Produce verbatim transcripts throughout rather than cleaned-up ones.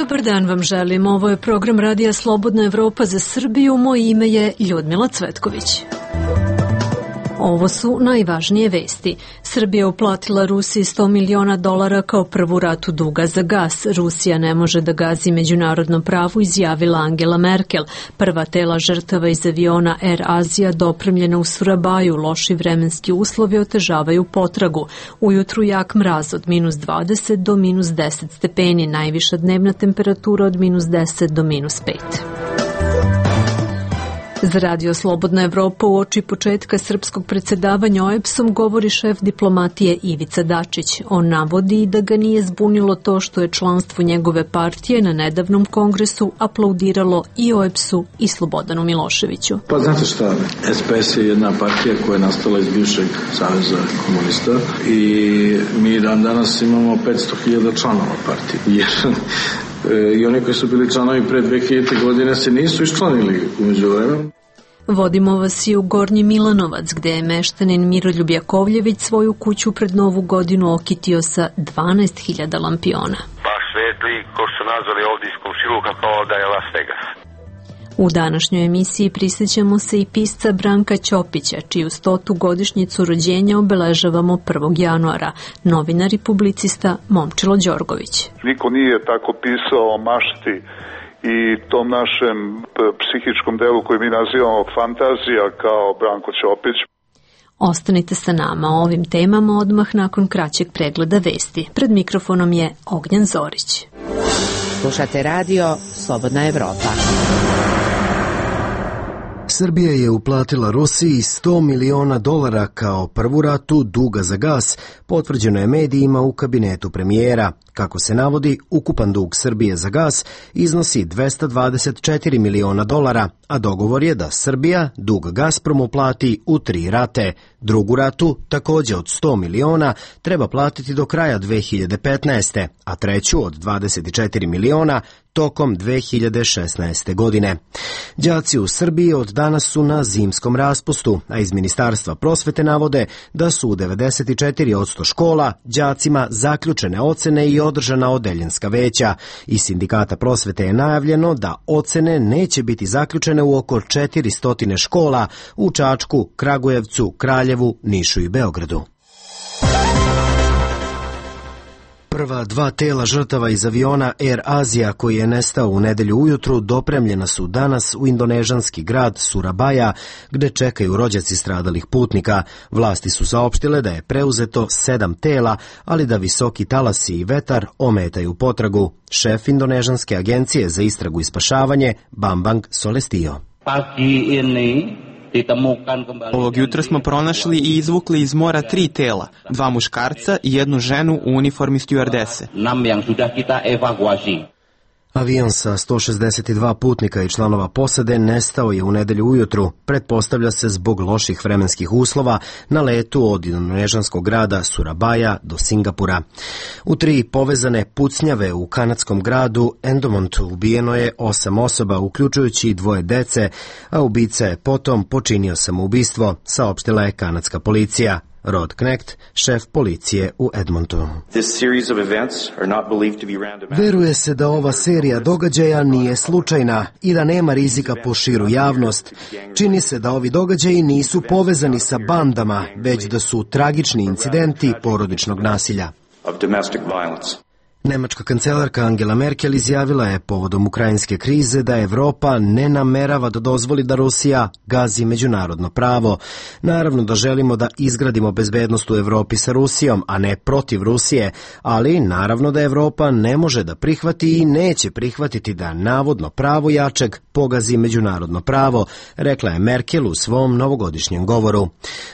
Dobar dan vam želim. Ovo je program Radija Slobodna Evropa za Srbiju. Moje ime je Ljudmila Cvetković. Ovo su najvažnije vesti. Srbija uplatila Rusiji sto miliona dolara kao prvu ratu duga za gas. Rusija ne može da gazi međunarodnom pravu, izjavila Angela Merkel. Prva tela žrtava iz aviona Air Asia dopremljena u Surabaju. Loši vremenski uslovi otežavaju potragu. Ujutru jak mraz od minus dvadeset do minus deset stepeni. Najviša dnevna temperatura od minus deset do minus pet. Za Radio Slobodna Evropa u oči početka srpskog predsjedavanja O E B S-om govori šef diplomatije Ivica Dačić. On navodi da ga nije zbunilo to što je članstvo njegove partije na nedavnom kongresu aplaudiralo i O E B S-u i Slobodanu Miloševiću. Pa znate šta, S P S je jedna partija koja je nastala iz bivšeg saveza komunista i mi dan danas imamo petsto hiljada članova partije. Jer i oni koji su bili članovi pre dve hiljadite. godine se nisu iščlanili umeđu vremenu. Vodimo vas i u Gornji Milanovac, gde je meštanin Miroljub Jakovljević svoju kuću pred Novu godinu okitio sa dvanaest hiljada lampiona. Baš svetli, ko što nazvali ovdje iz komšiluka kao da je Las Vegas. U današnjoj emisiji prisjećamo se i pisca Branka Ćopića, čiju stotu godišnjicu rođenja obeležavamo prvog januara, novinar i publicista Momčilo Đorgović. Niko nije tako pisao o mašti i tom našem psihičkom delu koji mi nazivamo fantazija kao Branko Ćopić. Ostanite sa nama o ovim temama odmah nakon kraćeg pregleda vesti. Pred mikrofonom je Ognjen Zorić. Slušate radio Slobodna Evropa. Srbija je uplatila Rusiji sto miliona dolara kao prvu ratu duga za gas, potvrđeno je medijima u kabinetu premijera. Kako se navodi, ukupan dug Srbije za gas iznosi dvesta dvadeset četiri miliona dolara, a dogovor je da Srbija dug Gazpromu plati u tri rate. Drugu ratu, takođe od sto miliona, treba platiti do kraja dve hiljade petnaeste. a treću od dvadeset četiri miliona tokom dve hiljade šesnaeste. godine. Đaci u Srbiji od danas su na zimskom raspustu, a iz Ministarstva prosvete navode da su u devedeset četiri posto škola đacima zaključene ocene i održana odeljenska veća. Iz Sindikata prosvete je najavljeno da ocene neće biti zaključene u oko četiristo škola u Čačku, Kragujevcu, Kraljevu, Nišu i Beogradu. Prva dva tela žrtava iz aviona Air Asia koji je nestao u nedelju ujutru dopremljena su danas u indonežanski grad Surabaja, gde čekaju rođaci stradalih putnika. Vlasti su saopštile da je preuzeto sedam tela, ali da visoki talasi i vetar ometaju potragu. Šef indonežanske agencije za istragu i spašavanje Bambang Solestio. Pagi ini Ovog jutra smo pronašli i izvukli iz mora tri tela, dva muškarca i jednu ženu u uniformi stjuardese. Avion sa sto šezdeset dva putnika i članova posade nestao je u nedelju ujutru, pretpostavlja se zbog loših vremenskih uslova na letu od indonežanskog grada Surabaja do Singapura. U tri povezane pucnjave u kanadskom gradu Endomontu ubijeno je osam osoba, uključujući dvoje dece, a ubica je potom počinio samoubistvo, saopštila je kanadska policija. Rod Knecht, šef policije u Edmontonu. Veruje se da ova serija događaja nije slučajna i da nema rizika po širu javnost. Čini se da ovi događaji nisu povezani sa bandama, već da su tragični incidenti porodičnog nasilja. Nemačka kancelarka Angela Merkel izjavila je povodom ukrajinske krize da Evropa ne namerava da dozvoli da Rusija gazi međunarodno pravo. Naravno da želimo da izgradimo bezbednost u Evropi sa Rusijom, a ne protiv Rusije, ali naravno da Evropa ne može da prihvati i neće prihvatiti da navodno pravo jačeg pogazi međunarodno pravo, rekla je Merkel u svom novogodišnjem govoru.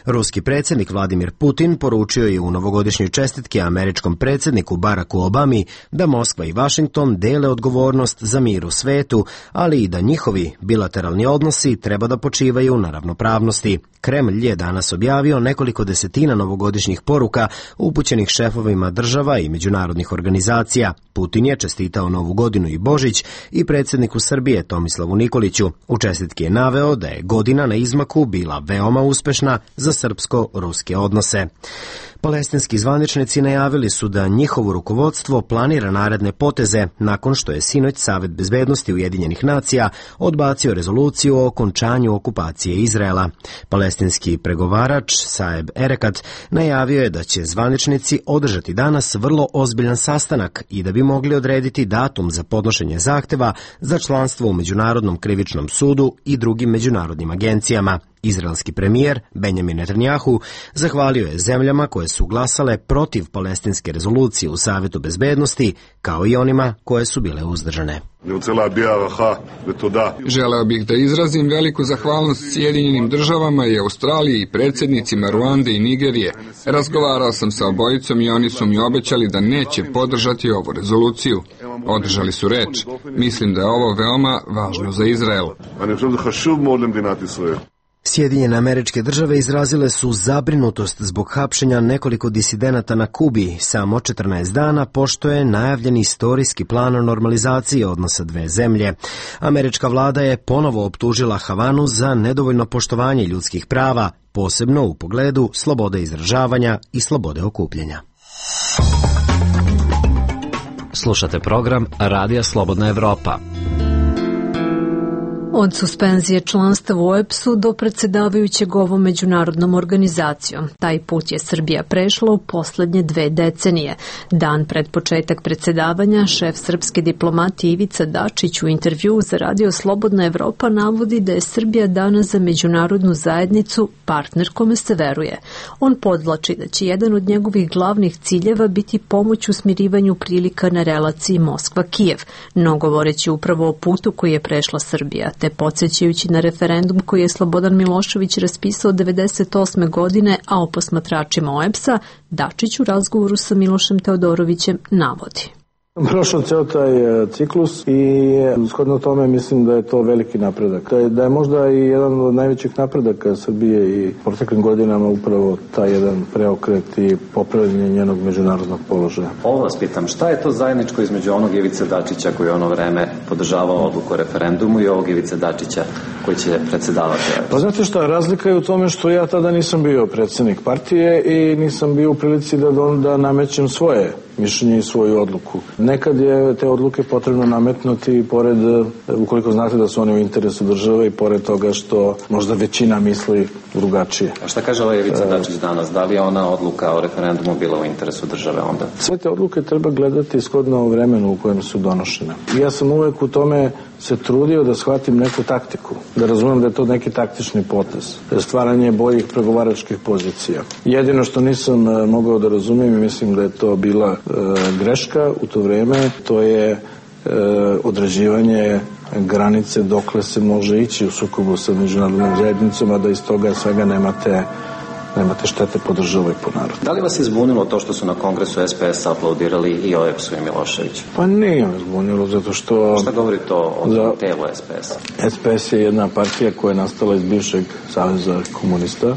Ruski predsjednik Vladimir Putin poručio je u novogodišnjoj čestitki američkom predsjedniku Baracku Obami da Moskva i Vašington dele odgovornost za mir u svetu, ali i da njihovi bilateralni odnosi treba da počivaju na ravnopravnosti. Kremlj je danas objavio nekoliko desetina novogodišnjih poruka upućenih šefovima država i međunarodnih organizacija. Putin je čestitao Novu godinu i Božić i predsjedniku Srbije Tomislavu Nikoliću. U čestitki je naveo da je godina na izmaku bila veoma uspešna za srpsko-ruske odnose. Palestinski zvaničnici najavili su da njihovo rukovodstvo planira naredne poteze nakon što je sinoć Savet bezbednosti Ujedinjenih nacija odbacio rezoluciju o okončanju okupacije Izraela. Palestinski pregovarač Saeb Erekat najavio je da će zvaničnici održati danas vrlo ozbiljan sastanak i da bi mogli odrediti datum za podnošenje zahteva za članstvo u Međunarodnom krivičnom sudu i drugim međunarodnim agencijama. Izraelski premijer Benjamin Netanjahu zahvalio je zemljama koje su glasale protiv palestinske rezolucije u Savetu bezbednosti, kao i onima koje su bile uzdržane. Želeo bih da izrazim veliku zahvalnost Sjedinjenim državama i Australiji i predsjednicima Ruande i Nigerije. Razgovarao sam sa obojicom i oni su mi obećali da neće podržati ovu rezoluciju. Održali su reč. Mislim da je ovo veoma važno za Izrael. Sjedinjene Američke Države izrazile su zabrinutost zbog hapšenja nekoliko disidenata na Kubi samo četrnaest dana pošto je najavljen istorijski plan o normalizaciji odnosa dve zemlje. Američka vlada je ponovo optužila Havanu za nedovoljno poštovanje ljudskih prava, posebno u pogledu slobode izražavanja i slobode okupljanja. Slušate program Radija Slobodna Evropa. Od suspenzije članstva u O E P S-u do predsjedavajućeg ovom međunarodnom organizacijom. Taj put je Srbija prešla u poslednje dve decenije. Dan pred početak predsjedavanja, šef srpske diplomatije Ivica Dačić u intervjuu za Radio Slobodna Evropa navodi da je Srbija danas za međunarodnu zajednicu partner kome se veruje. On podvlači da će jedan od njegovih glavnih ciljeva biti pomoć u smirivanju prilika na relaciji Moskva-Kijev, no govoreći upravo o putu koji je prešla Srbija, te podsjećajući na referendum koji je Slobodan Milošević raspisao devedeset osme godine, a o posmatračima O E P S-a Dačić u razgovoru sa Milošem Teodorovićem navodi. Prošao ceo taj ciklus i shodno tome mislim da je to veliki napredak. Da je, da je možda i jedan od najvećih napredaka Srbije i proteklim godinama upravo taj jedan preokret i popravljanje njenog međunarodnog položaja. Ovo vas pitam, šta je to zajedničko između onog Ivice Dačića koji je ono vreme podržavao odluku o referendumu i ovog Ivice Dačića koji će predsedavati? Pa znate šta, razlika je u tome što ja tada nisam bio predsjednik partije i nisam bio u prilici da, da namećem svoje mišljenje i svoju odluku. Nekad je te odluke potrebno nametnuti pored, ukoliko znate da su one u interesu države i pored toga što možda većina misli drugačije. A šta kaže ovaj Ivica Dačić danas? Da li je ona odluka o referendumu bila u interesu države onda? Sve te odluke treba gledati shodno vremenu u kojem su donošene. I ja sam uvek u tome se trudio da shvatim neku taktiku, da razumem da je to neki taktični potez, da je stvaranje boljih pregovaračkih pozicija. Jedino što nisam mogao da razumem i mislim da je to bila e, greška u to vreme, to je e, određivanje granice dokle se može ići u sukobu sa međunarodnom zajednicom, a da iz toga svega nemate nemate štete po državu i po narodu. Da li vas je zbunilo to što su na kongresu S P S aplaudirali i O E P S-u i Miloševiću? Pa nije me zbunilo, zato što... Šta govori to o za... telu S P S-a? S P S je jedna partija koja je nastala iz bivšeg saveza komunista e,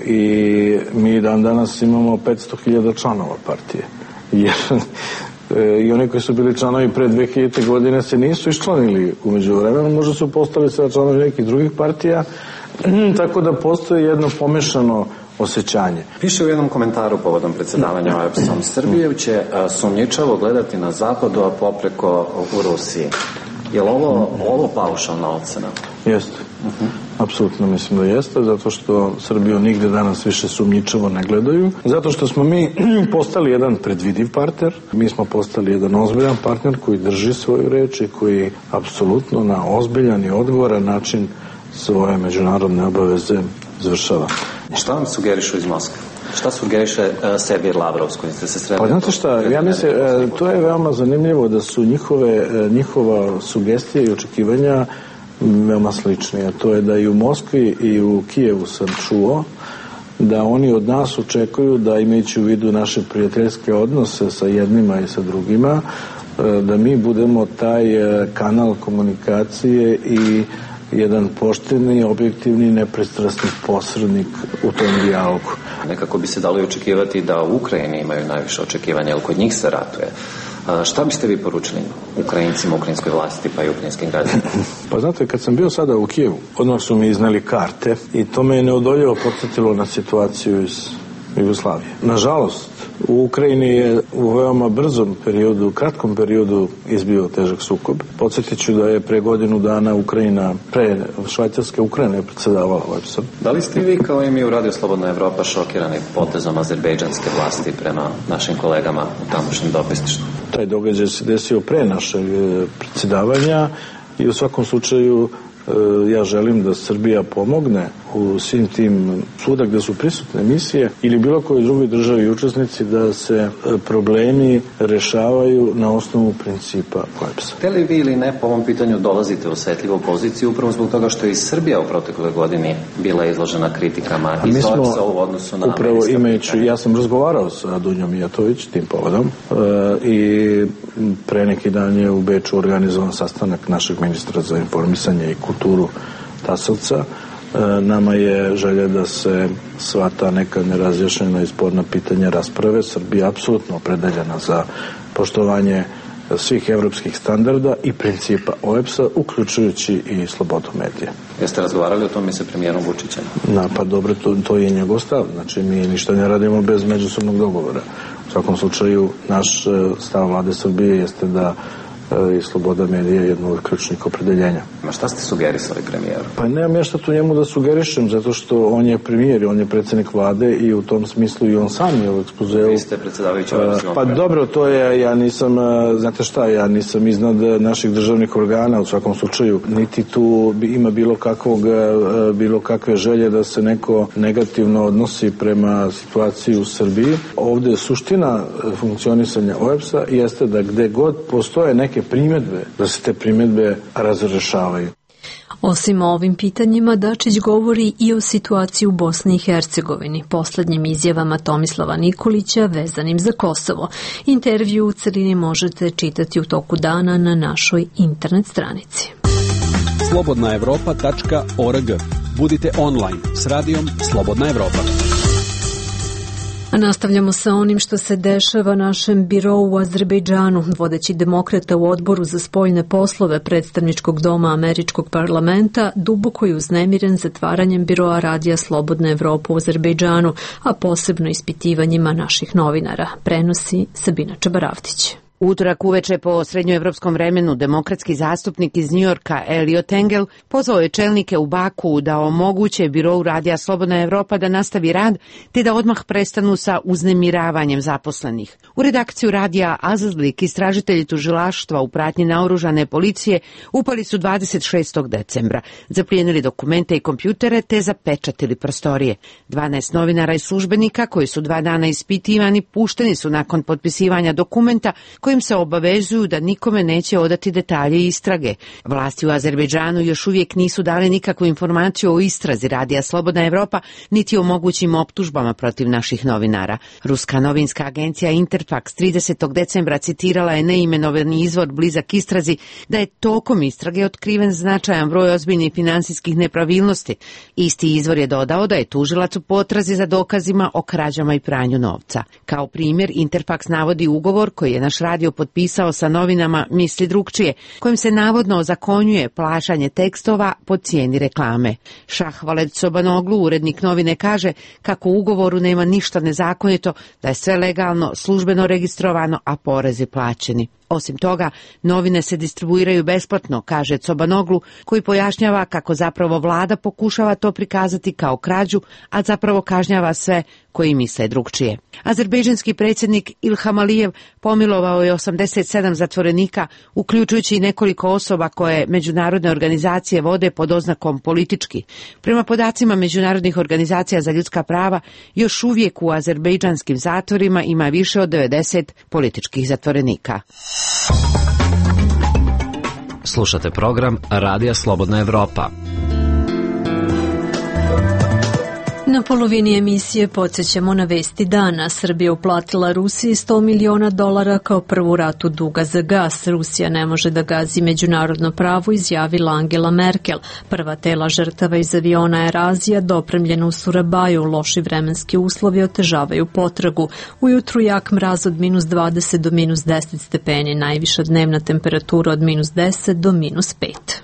i mi dan danas imamo petsto hiljada članova partije. Jer i oni koji su bili članovi pre dve hiljadite godine se nisu iščlanili u međuvremenu, možda su postali sada članovi nekih drugih partija, tako da postoji jedno pomešano osjećanje. Piše u jednom komentaru povodom predsjedavanja O E P S-om, Srbiju će sumnjičavo gledati na zapadu, a popreko u Rusiji. Je li ovo, ovo paušalna ocena? Jeste. Uh-huh. Apsolutno mislim da jeste, zato što Srbiju nigde danas više sumnjičavo ne gledaju. Zato što smo mi postali jedan predvidiv partner, mi smo postali jedan ozbiljan partner koji drži svoju reč i koji apsolutno na ozbiljan i odgovoran način svoje međunarodne obaveze završava. Šta vam sugerišu iz Moskve? Šta sugeriše uh, Sergej Lavrov s kojim ste se sreli? Pa znate šta, ja mislim, uh, to je veoma zanimljivo da su njihove, uh, njihova sugestija i očekivanja veoma slične. A to je da i u Moskvi i u Kijevu sam čuo da oni od nas očekuju da, imajući u vidu naše prijateljske odnose sa jednima i sa drugima, uh, da mi budemo taj uh, kanal komunikacije i jedan pošteni, objektivni, nepristrasni posrednik u tom dijalogu. Nekako bi se dalo očekivati da u Ukrajini imaju najviše očekivanja, jer kod njih se ratuje. Šta biste vi poručili Ukrajincima, ukrajinskoj vlasti pa i ukrajinskim građanima? Pa znate, kad sam bio sada u Kijevu, odmah su mi izneli karte i to me je neodoljivo podsjetilo na situaciju iz Jugoslavije. Nažalost, u Ukrajini je u veoma brzom periodu, kratkom periodu izbio težak sukob. Podsjetit ću da je pre godinu dana Ukrajina, pre Švajcarske Ukrajine je predsedavala O E B S-om. Da li ste vi kao i mi u Radio Slobodna Evropa šokirani potezom azerbejdžanske vlasti prema našim kolegama u tamošnjem dopisništvu? Taj događaj se desio pre našeg predsedavanja i u svakom slučaju ja želim da Srbija pomogne u svim tim svuda gde su prisutne misije ili bilo koje drugoj državi i učesnici da se problemi rešavaju na osnovu principa O E B S-a. Te li vi ili ne po ovom pitanju dolazite u osetljivu poziciju upravo zbog toga što je i Srbija u protekloj godini bila izložena kritikama iz O E B S-a u odnosu na upravo imajući, ja sam razgovarao sa Dunjom Mijatović tim povodom e, i pre neki dan je u Beču organizovan sastanak našeg ministra za informisanje i kulturu Tasovca. Nama je želja da se sva ta neka nerazjašnjena i sporna pitanja rasprave. Srbija je apsolutno opredeljena za poštovanje svih evropskih standarda i principa O E B S-a, uključujući i slobodu medija. Jeste razgovarali o tome sa premijerom Vučićem? Na, pa dobro, to, to je njegov stav. Znači, mi ništa ne radimo bez međusobnog dogovora. U svakom slučaju, naš stav vlade Srbije jeste da i sloboda medija je jedno od ključnih opredeljenja. Ma šta ste sugerisali premijeru? Pa nemam ja šta tu njemu da sugerišem, zato što on je premijer, on je predsjednik vlade i u tom smislu i on sam je u ekspozeu. Vi ste predsjedavajući ovaj uh, Pa dobro, to je, ja nisam, znate šta, ja nisam iznad naših državnih organa, u svakom slučaju, niti tu ima bilo kakvog, bilo kakve želje da se neko negativno odnosi prema situaciji u Srbiji. Ovde je suština funkcionisanja O E B S-a jeste da gde god postoje neke primjedbe, da se te primjedbe razrešavaju. Osim o ovim pitanjima, Dačić govori i o situaciji u Bosni i Hercegovini, poslednjim izjavama Tomislava Nikolića vezanim za Kosovo. Intervju u celini možete čitati u toku dana na našoj internet stranici. slobodna evropa tačka org. Budite online s radijom Slobodna Evropa. A nastavljamo sa onim što se dešava našem birou u Azerbejdžanu. Vodeći demokrata u odboru za spoljne poslove predstavničkog doma američkog parlamenta duboko je uznemiren zatvaranjem biroa Radija Slobodna Evropa u Azerbejdžanu, a posebno ispitivanjima naših novinara, prenosi Sabina Čabaravtić. Utorak uveče po srednjoevropskom vremenu demokratski zastupnik iz Njujorka Eliot Engel pozvao je čelnike u Baku da omoguće birou Radija Slobodna Evropa da nastavi rad te da odmah prestanu sa uznemiravanjem zaposlenih. U redakciju radija Azazlik istražitelji tužilaštva u pratnji naoružane policije upali su dvadeset šestog decembra, zaplijenili dokumente i kompjutere te zapečatili prostorije. dvanaest novinara i službenika koji su dva dana ispitivani pušteni su nakon potpisivanja dokumenta kojim se obavezuju da nikome neće odati detalje istrage. Vlasti u Azerbejdžanu još uvijek nisu dali nikakvu informaciju o istrazi Radija Slobodna Evropa, niti o mogućim optužbama protiv naših novinara. Ruska novinska agencija Interfax tridesetog decembra citirala je neimenovani izvor blizak istrazi da je tokom istrage otkriven značajan broj ozbiljnih finansijskih nepravilnosti. Isti izvor je dodao da je tužilac u potrazi za dokazima o krađama i pranju novca. Kao primjer, Interfax navodi ugovor koji je naš radio potpisao sa novinama Misli drugčije, kojim se navodno ozakonjuje plaćanje tekstova po cijeni reklame. Šahvaled Sobanoglu, urednik novine, kaže kako u ugovoru nema ništa nezakonito, da je sve legalno, službeno registrovano, a porezi plaćeni. Osim toga, novine se distribuiraju besplatno, kaže Cobanoglu, koji pojašnjava kako zapravo vlada pokušava to prikazati kao krađu, a zapravo kažnjava sve koji misle drugčije. Azerbejdžanski predsjednik Ilham Alijev pomilovao je osamdeset sedam zatvorenika, uključujući i nekoliko osoba koje međunarodne organizacije vode pod oznakom politički. Prema podacima međunarodnih organizacija za ljudska prava, još uvijek u azerbejdžanskim zatvorima ima više od devedeset političkih zatvorenika. Slušate program Radija Slobodna Evropa. Na polovini emisije podsjećamo na vesti dana. Srbija uplatila Rusiji sto miliona dolara kao prvu ratu duga za gas. Rusija ne može da gazi međunarodno pravo, izjavila Angela Merkel. Prva tela žrtava iz aviona Air Azija dopremljena u Surabaju. Loši vremenski uslovi otežavaju potragu. Ujutru jak mraz od minus dvadeset do minus deset stepeni. Najviša dnevna temperatura od minus deset do minus pet.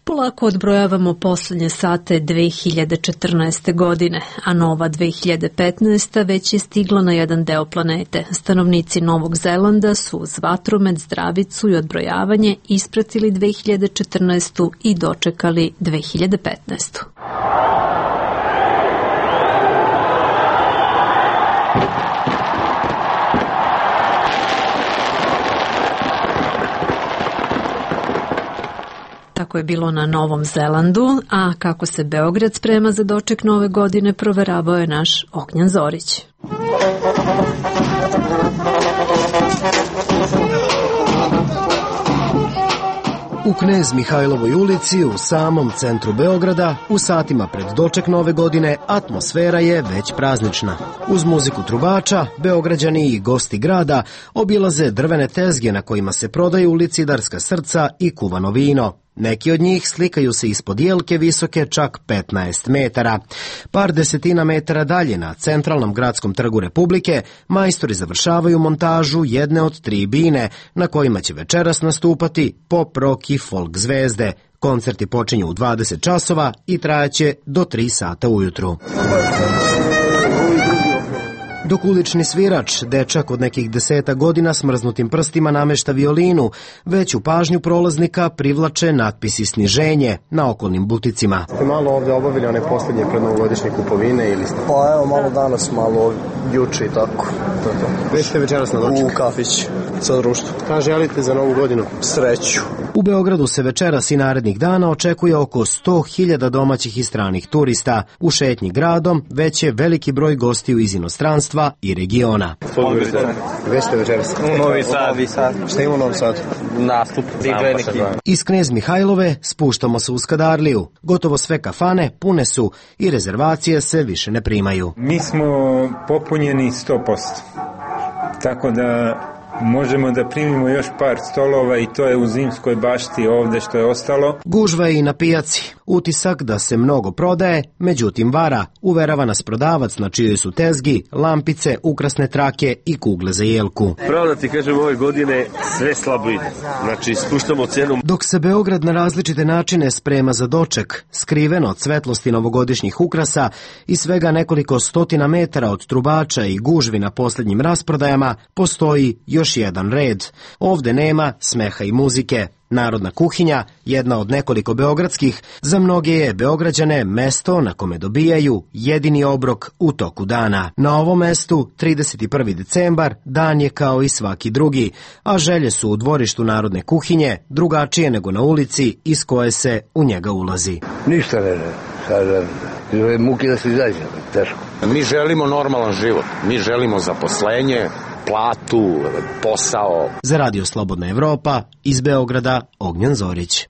Polako odbrojavamo poslednje sate dve hiljade četrnaeste. godine, a nova dve hiljade petnaesta. već je stigla na jedan deo planete. Stanovnici Novog Zelanda su uz vatromet, zdravicu i odbrojavanje ispratili dve hiljade četrnaestu. i dočekali dve hiljade petnaestu. Tako je bilo na Novom Zelandu, a kako se Beograd sprema za doček nove godine proveravao je naš Ognjan Zorić. U Knez Mihajlovoj ulici, u samom centru Beograda, u satima pred doček nove godine, atmosfera je već praznična. Uz muziku trubača, Beograđani i gosti grada obilaze drvene tezge na kojima se prodaju licidarska srca i kuvano vino. Neki od njih slikaju se ispod jelke visoke čak petnaest metara. Par desetina metara dalje na centralnom gradskom trgu Republike majstori završavaju montažu jedne od tri bine na kojima će večeras nastupati pop, rock i folk zvezde. Koncerti počinju u dvadeset časova i trajaće do tri sata ujutru. Dok ulični svirač, dečak od nekih deseta godina smrznutim prstima namešta violinu, veću pažnju prolaznika privlače natpisi sniženje na okolnim buticima. Ste malo ovde obavili one posljednje prednovogodišnje kupovine ili ste? Pa evo, malo danas, malo juče i tako. To to. Gde ste večeras na doček? U kafić, sa društvom. Šta želite za novu godinu? Sreću. U Beogradu se večeras i narednih dana očekuje oko sto hiljada domaćih i stranih turista. U šetnji gradom već je veliki broj gostiju iz inostranstva i regiona. Gde ste večeras? U Novi Sad. Novi Sad. Šta ima u Novom Sadu? Nastup. Iz Knez Mihajlove spuštamo se u Skadarliju. Gotovo sve kafane pune su i rezervacije se više ne primaju. Mi smo popunjeni sto posto. Tako da možemo da primimo još par stolova i to je u Zimskoj bašti ovde što je ostalo. Gužva je i na pijaci. Utisak da se mnogo prodaje, međutim vara, uverava nas prodavac na čijoj su tezgi, lampice, ukrasne trake i kugle za jelku. Pravo da ti kažem, ove godine sve slabo ide. Znači, spuštamo cenu. Dok se Beograd na različite načine sprema za doček, skriveno od svetlosti novogodišnjih ukrasa i svega nekoliko stotina metara od trubača i gužvi na posljednjim rasprodajama, postoji još jedan red. Ovde nema smeha i muzike. Narodna kuhinja, jedna od nekoliko beogradskih, za mnoge je Beograđane mesto na kome dobijaju jedini obrok u toku dana. Na ovom mestu, trideset prvi decembar, dan je kao i svaki drugi, a želje su u dvorištu Narodne kuhinje drugačije nego na ulici iz koje se u njega ulazi. Ništa ne želim, sada muke da se izađe, teško. Mi želimo normalan život, mi želimo zaposlenje, platu, posao. Za Radio Slobodna Evropa, iz Beograda, Ognjan Zorić.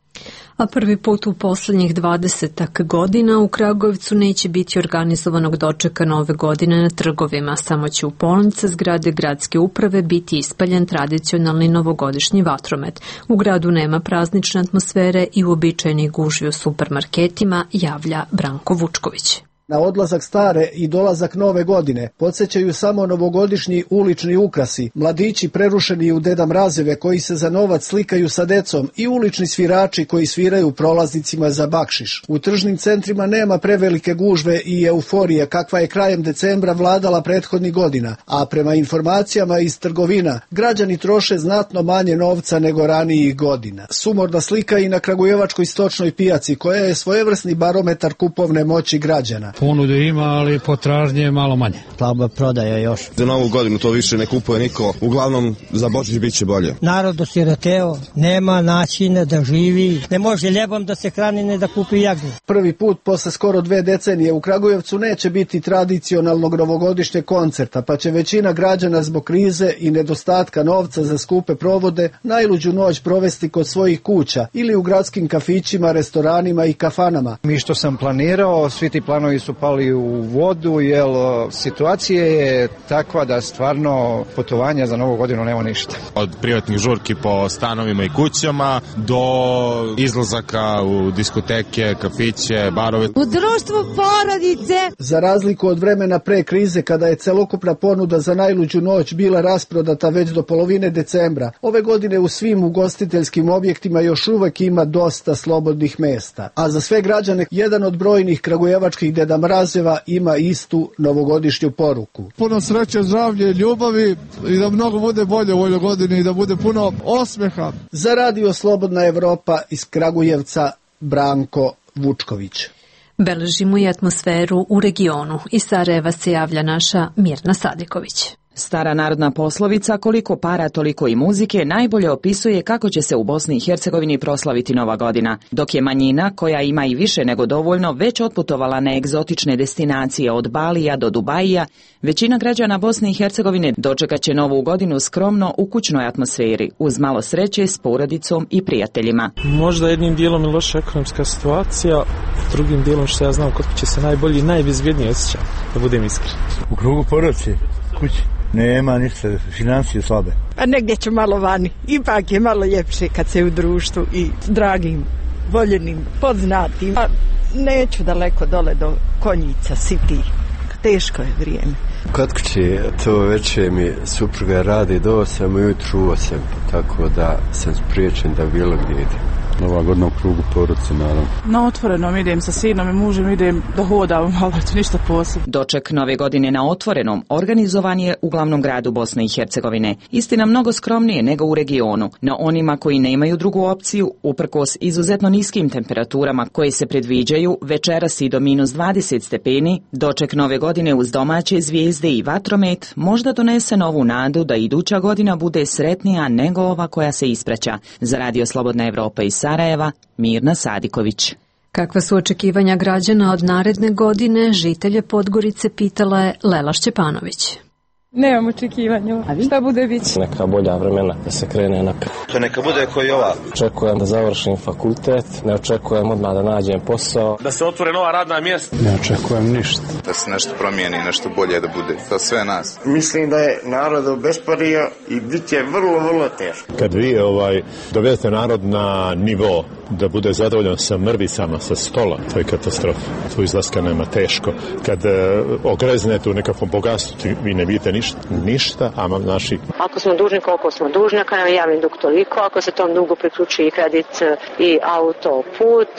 A prvi put u poslednjih dvadesetak godina u Kragujevcu neće biti organizovanog dočeka nove godine na trgovima, samo će u polnice zgrade gradske uprave biti ispaljen tradicionalni novogodišnji vatromet. U gradu nema praznične atmosfere i uobičajenih gužvi u supermarketima, javlja Branko Vučković. Na odlazak stare i dolazak nove godine podsjećaju samo novogodišnji ulični ukrasi, mladići prerušeni u Deda Mrazeve koji se za novac slikaju sa decom i ulični svirači koji sviraju prolaznicima za bakšiš. U tržnim centrima nema prevelike gužve i euforije kakva je krajem decembra vladala prethodnih godina, a prema informacijama iz trgovina građani troše znatno manje novca nego ranijih godina. Sumorna slika i na kragujevačkoj stočnoj pijaci koja je svojevrsni barometar kupovne moći građana. Ponudu ima, ali potražnje je malo manje. Slaba prodaja još. Za novu godinu to više ne kupuje niko, uglavnom za Božić bit će bolje. Narod osiromašio, nema načina da živi, ne može ljebom da se hrani, ne da kupi jagnje. Prvi put posle skoro dve decenije u Kragujevcu neće biti tradicionalnog novogodišnjeg koncerta, pa će većina građana zbog krize i nedostatka novca za skupe provode najluđu noć provesti kod svojih kuća ili u gradskim kafićima, restoranima i kafanama. Mi što sam planirao, svi ti planovi su pali u vodu, jer situacija je takva da stvarno putovanja za novu godinu nema ništa. Od privatnih žurki po stanovima i kućama do izlazaka u diskoteke, kafiće, barove. U društvu porodice. Za razliku od vremena pre krize kada je celokupna ponuda za najluđu noć bila rasprodata već do polovine decembra, ove godine u svim ugostiteljskim objektima još uvek ima dosta slobodnih mesta. A za sve građane jedan od brojnih kragujevačkih Deda Mrazeva ima istu novogodišnju poruku. Puno sreće, zdravlje, ljubavi i da mnogo bude bolje u ovoj godini i da bude puno osmeha. Za Radio Slobodna Evropa iz Kragujevca, Branko Vučković. Beležimo i atmosferu u regionu. Iz Sarajeva se javlja naša Mirna Sadiković. Stara narodna poslovica koliko para toliko i muzike najbolje opisuje kako će se u Bosni i Hercegovini proslaviti Nova godina, dok je manjina, koja ima i više nego dovoljno, već otputovala na egzotične destinacije od Balija do Dubaija, većina građana Bosne i Hercegovine dočekat će Novu godinu skromno u kućnoj atmosferi, uz malo sreće s porodicom i prijateljima. Možda jednim dijelom je loša ekonomska situacija, drugim dijelom što ja znam kod će se najbolji i najbezbjednije osjećati, da budem iskren. U krugu porodice, kući. Nema ništa, financije slabe. A negdje ću malo vani. Ipak je malo ljepše kad se u društvu i dragim, voljenim, poznatim. A neću daleko dole do Konjica, Siti. Teško je vrijeme. Kod kuće to večer mi supruga radi do osam ujutru u osam, tako da sam spriječen da bilo gdje idem. Nova godina u krugu porodice, naravno. Na otvorenom idem sa sinom i mužem, idem da hodam, ali to ništa posebno. Doček Nove godine na otvorenom organizovan je u glavnom gradu Bosne i Hercegovine. Istina mnogo skromnije nego u regionu. Na onima koji nemaju drugu opciju, uprkos izuzetno niskim temperaturama koje se predviđaju, večeras i do minus dvadeset stepeni, doček Nove godine uz domaće zvijezde i vatromet možda donese novu nadu da iduća godina bude sretnija nego ova koja se ispraća. Za Radio Slobodna Evropa iz Sarajeva, Mirna Sadiković. Kakva su očekivanja građana od naredne godine, žitelje Podgorice pitala je Lela Šćepanović. Nemam očekivanja. Šta bude biće? Neka bolja vremena da se krene napred. To neka bude koji ova. Očekujem da završim fakultet, ne očekujem odmah da nađem posao. Da se otvore nova radna mjesta. Ne očekujem ništa. Da se nešto promijeni, nešto bolje da bude za sve nas. Mislim da je narod obespario i bit će vrlo, vrlo teško. Kad vi ovaj, dovedete narod na nivo da bude zadovoljan sa mrvicama sa stola, to je katastrofa. Tu izlaska nema, teško. Kad e, ogreznete u nekakvom bogatstvu, vi ne vidite ništa, ništa, a naši... Ako smo dužni, koliko smo dužni, ako nam je javni dug toliko, ako se tom dugu priključi i kredit i autoput,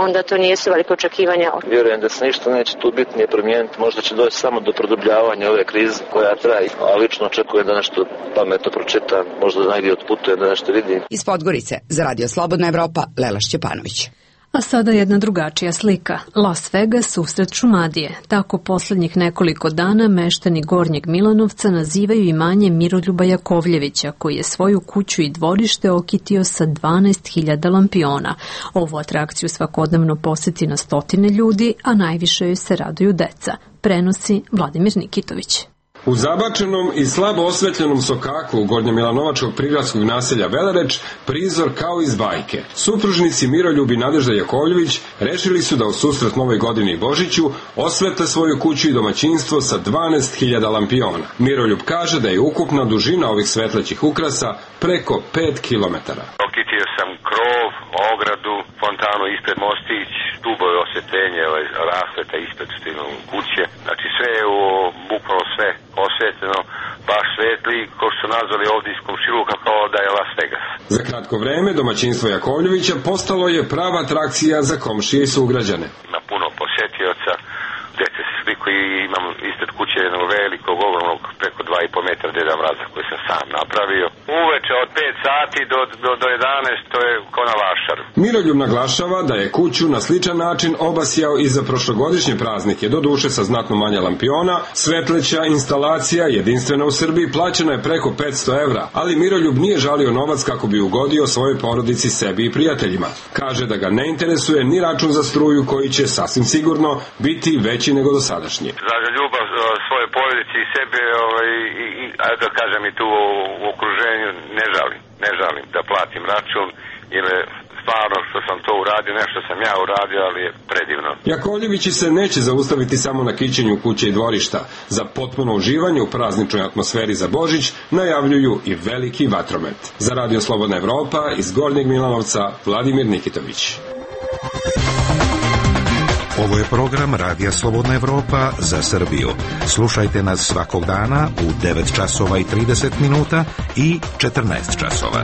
onda to nije sve veliko očekivanja. Vjerujem da se ništa neće tu bitnije promijeniti, možda će doći samo do produbljavanja ove krize koja traje, a lično očekujem da nešto pametno pročitam, možda najgdje otputujem, da nešto vidim. Iz Podgorice, za Radio Slobodna Evropa, Lela Šćepanović. A sada jedna drugačija slika. Las Vegas usred Šumadije. Tako posljednjih nekoliko dana meštani Gornjeg Milanovca nazivaju imanje Miroljuba Jakovljevića, koji je svoju kuću i dvorište okitio sa dvanaest hiljada lampiona. Ovu atrakciju svakodnevno posjeti na stotine ljudi, a najviše joj se raduju deca. Prenosi Vladimir Nikitović. U zabačenom i slabo osvetljenom sokaku gornjemilanovačkog prigradskog naselja Velereč prizor kao iz bajke. Supružnici Miroljub i Nadežda Jakovljević rešili su da u susret Novoj godini i Božiću osvete svoju kuću i domaćinstvo sa dvanaest hiljada lampiona. Miroljub kaže da je ukupna dužina ovih svetlećih ukrasa preko pet kilometara. Okitio sam krov, ogradu, fontanu ispred mostić, stubove osvetljenje, rasveta ispred kuće. Znači sve je u, bukvalno sve osvetljeno, baš svetli, ko što su nazvali ovdje iz komšiluka kao da je Las Vegas. Za kratko vreme domaćinstvo Jakovljevića postalo je prava atrakcija za komšije i sugrađane. Ima puno posjetioca, dece se sliku i imam ispred kuće jednog velikog, ogromnog, preko preko dva i po metra Deda Mraza koji sam sam napravio. Uveče od pet sati do, do, do jedanaest to je ko na vašaru. Miroljub naglašava da je kuću na sličan način obasjao i za prošlogodišnje praznike, do duše sa znatno manje lampiona. Svetleća instalacija jedinstvena u Srbiji plaćena je preko petsto evra, ali Miroljub nije žalio novac kako bi ugodio svojoj porodici, sebi i prijateljima. Kaže da ga ne interesuje ni račun za struju koji će sasvim sigurno biti veći nego dosadašnji. Za ljubav svoje porodici i sebe, ovaj, i, i, da kažem i tu u, u okruženju, ne žalim, ne žalim da platim račun, jer je stvarno što sam to uradio, nešto sam ja uradio, ali je predivno. Jakovljevići se neće zaustaviti samo na kićenju kuće i dvorišta. Za potpuno uživanje u prazničnoj atmosferi za Božić najavljuju i veliki vatromet. Za Radio Slobodna Evropa iz Gornjeg Milanovca, Vladimir Nikitović. Ovo je program Radija Slobodna Evropa za Srbiju. Slušajte nas svakog dana u devet časova i trideset minuta i četrnaest časova.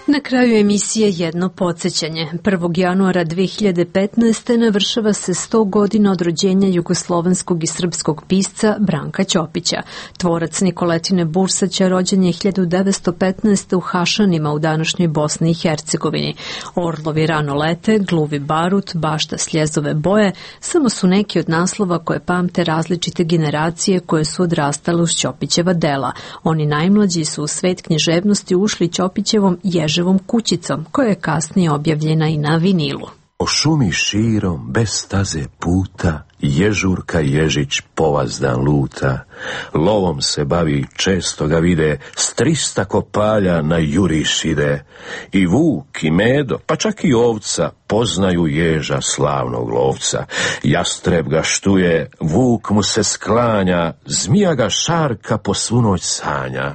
Na kraju emisije jedno podsjećanje. prvog januara dve hiljade petnaeste. navršava se sto godina od rođenja jugoslovenskog i srpskog pisca Branka Ćopića. Tvorac Nikoletine Bursaća rođen je hiljadu devetsto petnaeste. u Hašanima u današnjoj Bosni i Hercegovini. Orlovi rano lete, gluvi barut, bašta sljezove boje, samo su neki od naslova koje pamte različite generacije koje su odrastale uz Ćopićeva dela. Oni najmlađi su u svet književnosti ušli Ćopićevom Ježevom kućicom, koja je kasnije objavljena i na vinilu. O šumi širom, bez staze puta, Ježurka Ježić povazdan luta. Lovom se bavi, često ga vide, s trista kopalja na juriš ide. I vuk i medo, pa čak i ovca, poznaju Ježa slavnog lovca. Jastreb ga štuje, vuk mu se sklanja, zmija ga šarka po svu noć sanja.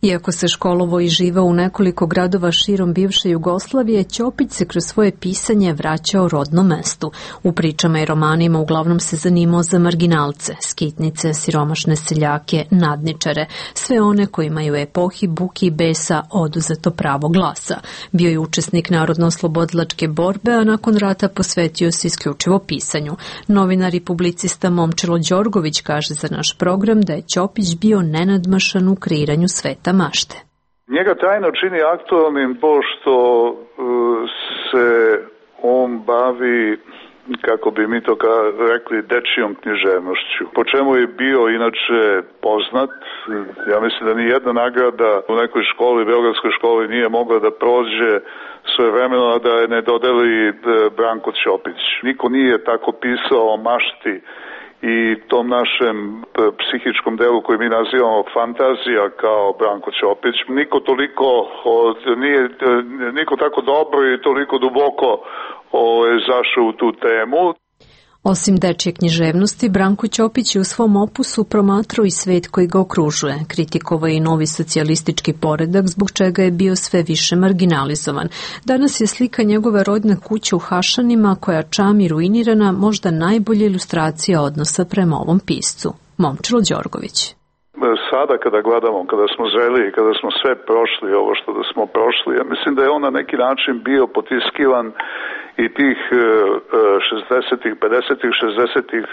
Iako se školovo i živao u nekoliko gradova širom bivše Jugoslavije, Ćopić se kroz svoje pisanje vraćao rodnom mestu. U pričama i romanima uglavnom se zanimao za marginalce, skitnice, siromašne seljake, nadničare, sve one kojima je u epohi buki i besa oduzeto pravo glasa. Bio je učesnik narodno-oslobodilačke borbe, a nakon rata posvetio se isključivo pisanju. Novinar i publicista Momčilo Đorgović kaže za naš program da je Ćopić bio nenadmašan u kreiranju sveta mašte. Njega trajno čini aktualnim pošto uh, se on bavi, kako bi mi to rekli, dečijom književnošću, po čemu je bio inače poznat. Ja mislim da ni jedna nagrada u nekoj školi, beogradskoj školi, nije mogla da prođe svojevremeno da je ne dodeli Branko Ćopić. Niko nije tako pisao o mašti i tom našem psihičkom delu koji mi nazivamo fantazija kao Branko Ćopić. Niko toliko od, nije, niko tako dobro i toliko duboko o, je zašao u tu temu. Osim dečje književnosti, Branko Ćopić je u svom opusu promatrao i svet koji ga okružuje. Kritikovao je i novi socijalistički poredak, zbog čega je bio sve više marginalizovan. Danas je slika njegove rodne kuće u Hašanima, koja čami ruinirana, možda najbolja ilustracija odnosa prema ovom piscu. Momčilo Đorgović. Sada kada gledamo, kada smo zreli i kada smo sve prošli, ovo što da smo prošli, ja mislim da je on na neki način bio potiskivan i tih šezdesetih, pedesetih, šezdesetih,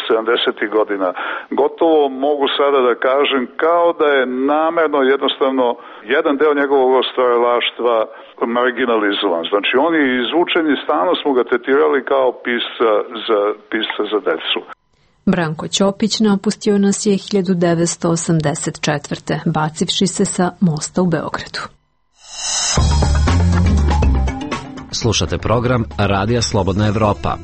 sedamdesetih godina. Gotovo mogu sada da kažem kao da je namerno jednostavno jedan deo njegovog stvaralaštva marginalizovan. Znači on je izvučen i stalno smo ga tretirali kao pisca za, pisca za decu. Branko Ćopić napustio nas je hiljadu devetsto osamdeset četvrte. bacivši se sa mosta u Beogradu. Slušate program Radija Slobodna Evropa.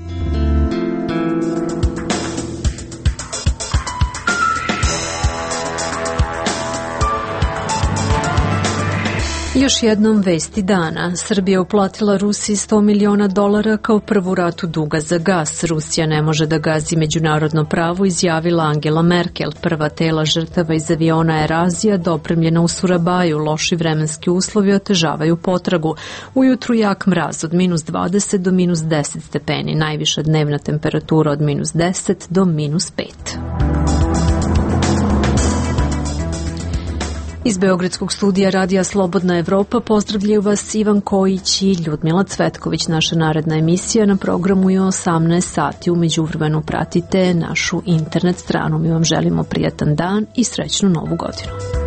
Još jednom vesti dana. Srbija uplatila Rusiji sto miliona dolara kao prvu ratu duga za gas. Rusija ne može da gazi međunarodno pravo, izjavila Angela Merkel. Prva tela žrtava iz aviona Erazija dopremljena u Surabaju. Loši vremenski uslovi otežavaju potragu. Ujutru jak mraz od minus dvadeset do minus deset stepeni. Najviša dnevna temperatura od minus deset do minus pet. Iz Beogradskog studija Radija Slobodna Evropa pozdravljaju vas Ivan Kojić i Ljudmila Cvetković. Naša naredna emisija na programu je osamnaest sati. U međuvremenu pratite našu internet stranu. Mi vam želimo prijatan dan i srećnu novu godinu.